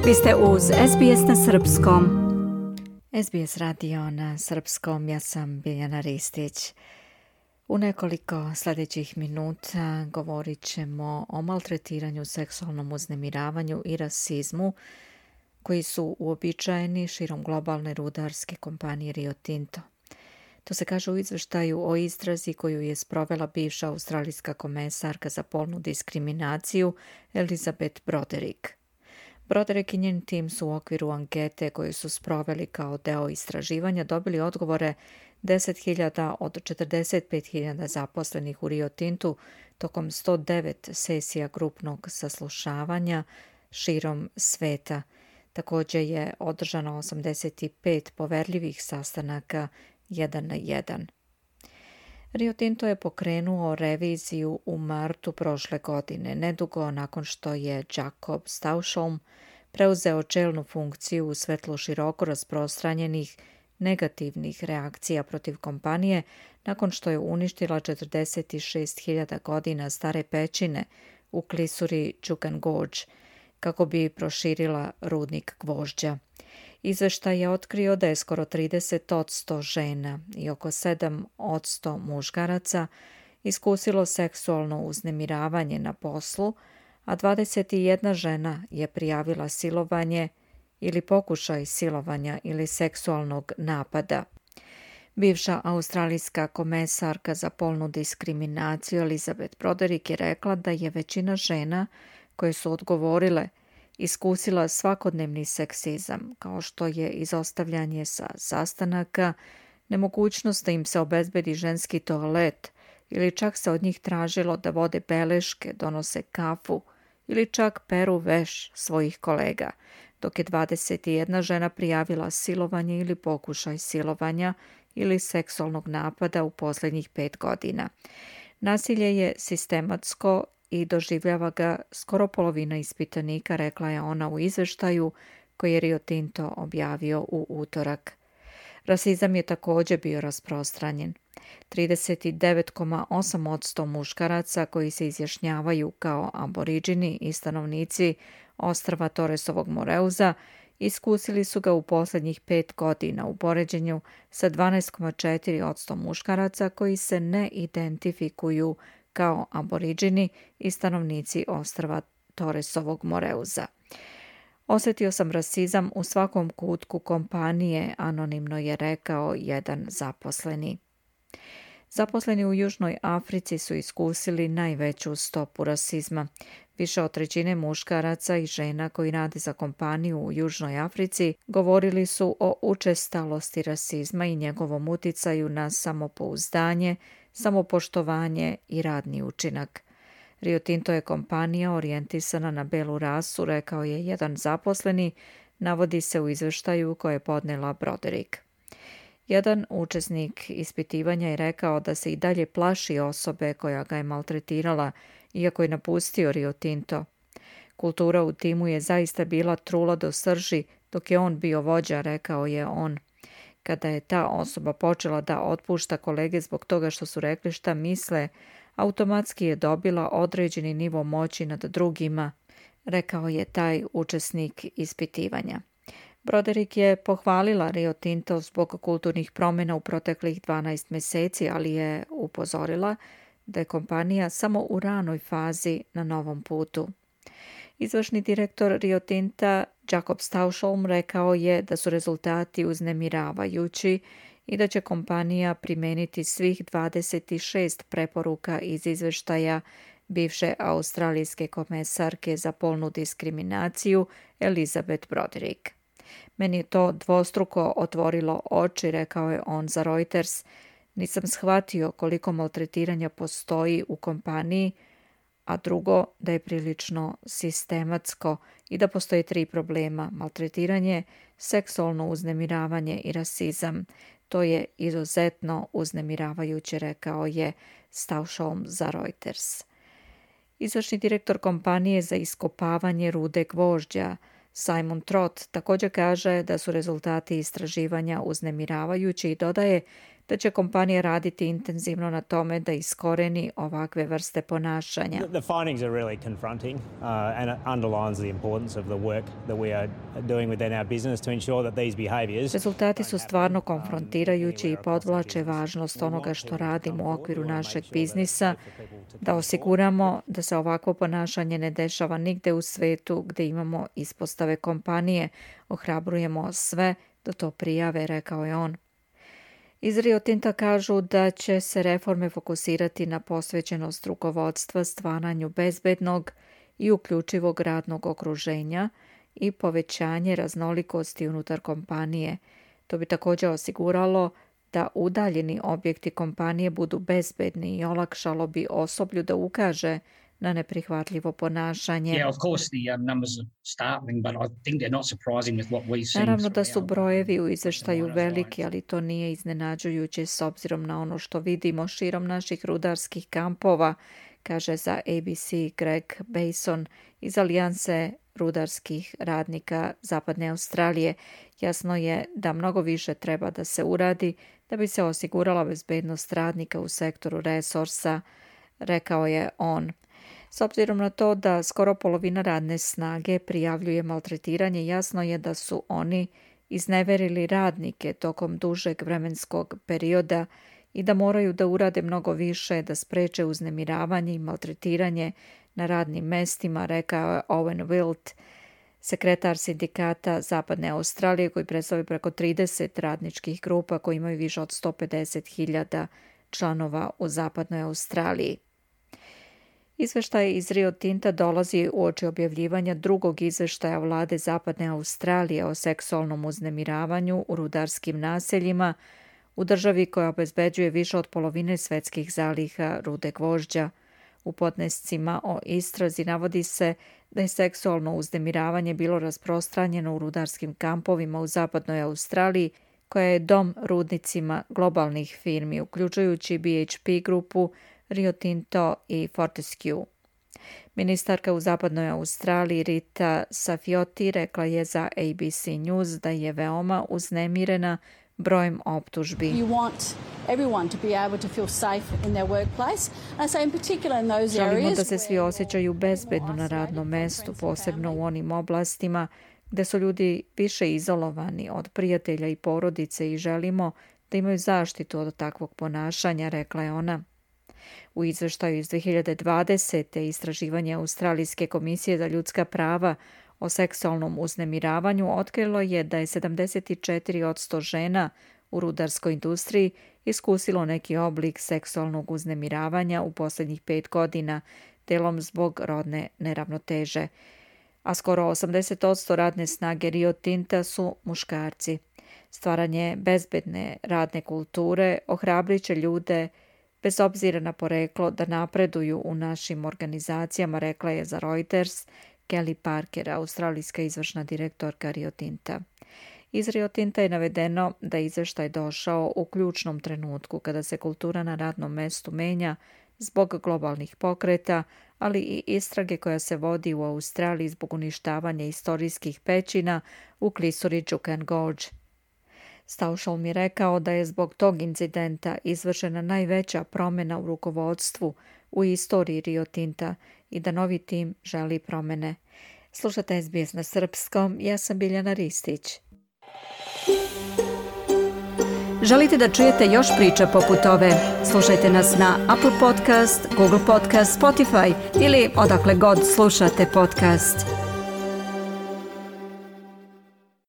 Vi ste uz SBS na srpskom. SBS radio na srpskom, ja sam Biljana Ristić. U nekoliko sljedećih minuta govorit ćemo o maltretiranju, seksualnom uznemiravanju i rasizmu koji su uobičajeni širom globalne rudarske kompanije Rio Tinto. To se kaže u izveštaju o istrazi koju je sprovela bivša australijska komesarka za polnu diskriminaciju Elizabeth Broderick. Broderick i njen tim su u okviru ankete koju su sproveli kao deo istraživanja dobili odgovore 10.000 od 45.000 zaposlenih u Rio Tintu tokom 109 sesija grupnog saslušavanja širom sveta. Također je održano 85 poverljivih sastanaka 1 na 1. Rio Tinto je pokrenuo reviziju u martu prošle godine, nedugo nakon što je Jacob Stausholm preuzeo čelnu funkciju u svetlu široko rasprostranjenih negativnih reakcija protiv kompanije nakon što je uništila 46.000 godina stare pećine u klisuri Juukan Gorge kako bi proširila rudnik gvožđa. Izveštaj je otkrio da je skoro 30% žena i oko 7% muškaraca iskusilo seksualno uznemiravanje na poslu, a 21 žena je prijavila silovanje ili pokušaj silovanja ili seksualnog napada. Bivša australijska komesarka za polnu diskriminaciju Elizabeth Broderick je rekla da je većina žena koje su odgovorile iskusila svakodnevni seksizam, kao što je izostavljanje sa sastanaka, nemogućnost da im se obezbedi ženski toalet ili čak se od njih tražilo da vode beleške, donose kafu ili čak peru veš svojih kolega, dok je 21 žena prijavila silovanje ili pokušaj silovanja ili seksualnog napada u posljednjih 5 godina. Nasilje je sistematsko i doživljava ga skoro polovina ispitanika, rekla je ona u izveštaju koji je Rio Tinto objavio u utorak. Rasizam je također bio rasprostranjen. 39,8% muškaraca koji se izjašnjavaju kao aboriđini i stanovnici ostrva Torresovog Moreuza iskusili su ga u posljednjih 5 godina u poređenju sa 12,4% muškaraca koji se ne identifikuju kao aboriđini i stanovnici ostrva Torresovog Moreuza. Osjetio sam rasizam u svakom kutku kompanije, anonimno je rekao jedan zaposleni. Zaposleni u Južnoj Africi su iskusili najveću stopu rasizma. Više od trećine muškaraca i žena koji rade za kompaniju u Južnoj Africi govorili su o učestalosti rasizma i njegovom uticaju na samopouzdanje, samopoštovanje i radni učinak. Rio Tinto je kompanija orijentisana na belu rasu, rekao je jedan zaposleni, navodi se u izveštaju koje je podnela Broderick. Jedan učesnik ispitivanja je rekao da se i dalje plaši osobe koja ga je maltretirala, iako je napustio Rio Tinto. Kultura u timu je zaista bila trula do srži dok je on bio vođa, rekao je on. Kada je ta osoba počela da otpušta kolege zbog toga što su rekli šta misle, automatski je dobila određeni nivo moći nad drugima, rekao je taj učesnik ispitivanja. Broderick je pohvalila Rio Tinto zbog kulturnih promjena u proteklih 12 mjeseci, ali je upozorila da je kompanija samo u ranoj fazi na novom putu. Izvršni direktor Rio Tinta Jacob Stausholm rekao je da su rezultati uznemiravajući i da će kompanija primijeniti svih 26 preporuka iz izveštaja bivše australijske komesarke za polnu diskriminaciju Elizabeth Broderick. Meni je to dvostruko otvorilo oči, rekao je on za Reuters. Nisam shvatio koliko maltretiranja postoji u kompaniji, a drugo da je prilično sistematsko i da postoje 3 problema: maltretiranje, seksualno uznemiravanje i rasizam. To je izuzetno uznemiravajuće, rekao je Stausholm za Reuters. Izvršni direktor kompanije za iskopavanje rude gvožđa Simon Trott također kaže da su rezultati istraživanja uznemiravajući i dodaje da će kompanija raditi intenzivno na tome da iskoreni ovakve vrste ponašanja. The findings are really confronting and it underlines the importance of the work that we are doing within our business to ensure that these behaviors. Rezultati su stvarno konfrontirajući i podvlače važnost onoga što radimo u okviru našeg biznisa, da osiguramo da se ovakvo ponašanje ne dešava nigde u svetu gdje imamo ispostave kompanije. Ohrabrujemo sve da to prijave, rekao je on. Iz Rio Tinta kažu da će se reforme fokusirati na posvećenost rukovodstva stvaranju bezbednog i uključivog radnog okruženja i povećanje raznolikosti unutar kompanije. To bi također osiguralo da udaljeni objekti kompanije budu bezbedni i olakšalo bi osoblju da ukaže na neprihvatljivo ponašanje. Naravno da su brojevi u izveštaju veliki, ali to nije iznenađujuće s obzirom na ono što vidimo širom naših rudarskih kampova, kaže za ABC Greg Bason iz Alijanse rudarskih radnika Zapadne Australije. Jasno je da mnogo više treba da se uradi da bi se osigurala bezbednost radnika u sektoru resursa, rekao je on. S obzirom na to da skoro polovina radne snage prijavljuje maltretiranje, jasno je da su oni izneverili radnike tokom dužeg vremenskog perioda i da moraju da urade mnogo više da spreče uznemiravanje i maltretiranje na radnim mestima, rekao je Owen Wilt, sekretar sindikata Zapadne Australije koji predstavlja preko 30 radničkih grupa koji imaju više od 150.000 članova u Zapadnoj Australiji. Izveštaj iz Rio Tinta dolazi uoči objavljivanja drugog izveštaja vlade Zapadne Australije o seksualnom uznemiravanju u rudarskim naseljima u državi koja obezbeđuje više od polovine svetskih zaliha rude gvožđa. U podnescima o istrazi navodi se da je seksualno uznemiravanje bilo rasprostranjeno u rudarskim kampovima u Zapadnoj Australiji, koja je dom rudnicima globalnih firmi, uključujući BHP grupu, Rio Tinto i Fortescue. Ministarka u Zapadnoj Australiji Rita Safioti rekla je za ABC News da je veoma uznemirena brojem optužbi. Želimo da se svi osjećaju bezbedno na radnom mestu, posebno u onim oblastima gde su ljudi više izolovani od prijatelja i porodice i želimo da imaju zaštitu od takvog ponašanja, rekla je ona. U izveštaju iz 2020. istraživanje Australijske komisije za ljudska prava o seksualnom uznemiravanju otkrilo je da je 74% žena u rudarskoj industriji iskusilo neki oblik seksualnog uznemiravanja u posljednjih 5 godina, delom zbog rodne neravnoteže. A skoro 80% radne snage Rio Tinta su muškarci. Stvaranje bezbedne radne kulture ohrabriće ljude bez obzira na poreklo da napreduju u našim organizacijama, rekla je za Reuters Kelly Parker, australijska izvršna direktorka Rio Tinta. Iz Rio Tinta je navedeno da je izveštaj došao u ključnom trenutku kada se kultura na radnom mestu menja zbog globalnih pokreta, ali i istrage koja se vodi u Australiji zbog uništavanja istorijskih pećina u klisuri Juukan Gorge. Staušal mi je rekao da je zbog tog incidenta izvršena najveća promjena u rukovodstvu u istoriji Rio Tinta i da novi tim želi promjene. Slušate SBS na srpskom, ja sam Biljana Ristić. Želite da čujete još priča poput ove? Slušajte nas na Apple Podcast, Google Podcast, Spotify ili odakle god slušate podcast.